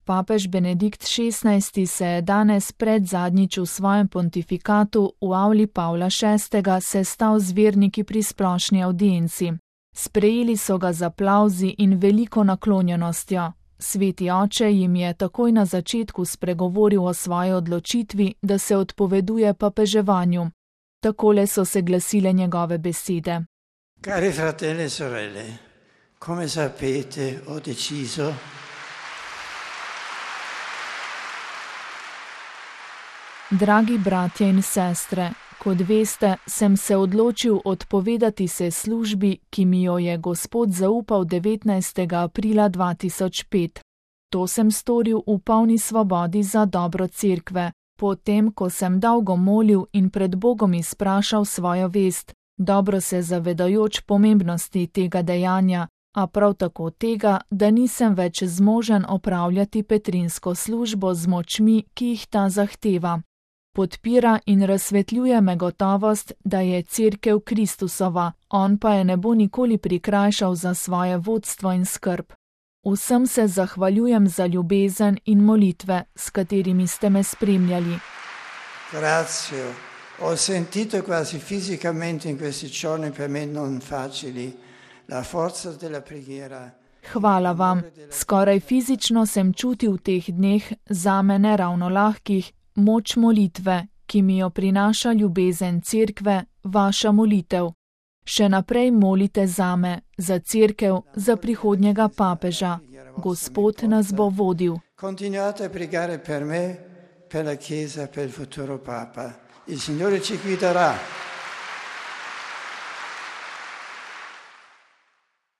Papež Benedikt XVI se je danes predzadnjič v svojem pontifikatu v avli Pavla VI. Sestal z verniki pri splošni avdienci. Sprejeli so ga z aplavzi in veliko naklonjenostjo. Sveti oče jim je takoj na začetku spregovoril o svoji odločitvi, da se odpoveduje papeževanju. Takole so se glasile njegove besede. Cari fratelli e sorelle, come sapete ho deciso Dragi bratje in sestre, kot veste, sem se odločil odpovedati se službi, ki mi jo je Gospod zaupal 19. aprila 2005. To sem storil v polni svobodi za dobro cerkve, potem, ko sem dolgo molil in pred Bogom izprašal svojo vest, dobro se zavedajoč pomembnosti tega dejanja, a prav tako tega, da nisem več zmožen opravljati petrinsko službo z močmi, ki jih ta zahteva. Podpira in razsvetljuje me gotovost, da je cerkev Kristusova, on pa je ne bo nikoli prikrajšal za svoje vodstvo in skrb. Vsem se zahvaljujem za ljubezen in molitve, s katerimi ste me spremljali. Grazie. Ho sentito quasi fisicamente in questi giorni per me non facili la forza della preghiera. Hvala vam. Skoraj fizično sem čutil v teh dneh, zame ne ravno lahkih, moč molitve, ki mi jo prinaša ljubezen cerkve, vaša molitev. Še naprej molite zame, za cerkev, za prihodnjega papeža. Gospod nas bo vodil. Continuate a pregare per me, per la Chiesa, per il futuro Papa. Il Signore ci guiderà.